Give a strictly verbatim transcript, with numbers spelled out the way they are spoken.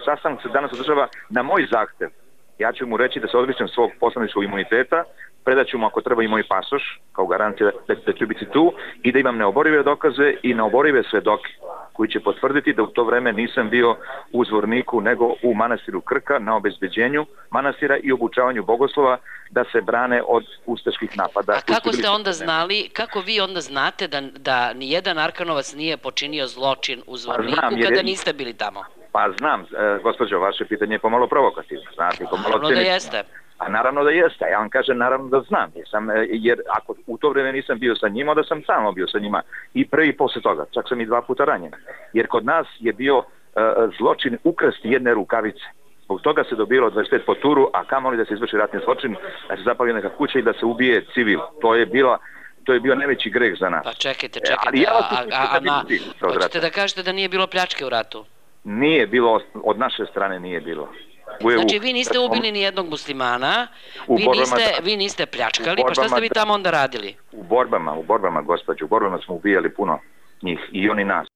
sastanak se danas održava na moj zahtev. Ja ću mu reći da se odričem svog poslaničkog imuniteta, predaću mu ako treba i moj pasoš, kao garancija da, da ću biti tu i da imam neoborive dokaze i neoborive svedoke koji će potvrditi da u to vreme nisam bio u Zvorniku nego u manastiru Krka na obezbeđenju manastira i obučavanju bogoslova da se brane od ustaških napada. A kako ste onda znali, kako vi onda znate da, da nijedan Arkanovac nije počinio zločin u Zvorniku pa znam, kada je, niste bili tamo? Pa znam, e, gospođo, vaše pitanje je pomalo provokativno. Znate, pomalo naravno da jeste. A naravno da jeste, ja vam kažem naravno da znam, jer, sam, jer ako u to vreme nisam bio sa njima, onda sam samo bio sa njima i pre i posle toga, čak sam i dva puta ranjen. Jer kod nas je bio uh, zločin ukrasti jedne rukavice. Zbog toga se dobilo dvadeset pet po turu, a kamoli da se izvrši ratni zločin, da se zapali neka kuća i da se ubije civil. To je bila To je bio najveći greh za nas. Pa čekajte, čekajte, ja a, a, a na, hoćete da kažete da nije bilo pljačke u ratu? Nije bilo, od naše strane nije bilo. Znači vi niste ubili ni jednog muslimana, vi niste, vi niste pljačkali, pa šta ste vi tamo onda radili? U borbama, u borbama, gospođo, u borbama smo ubijali puno njih i oni nas.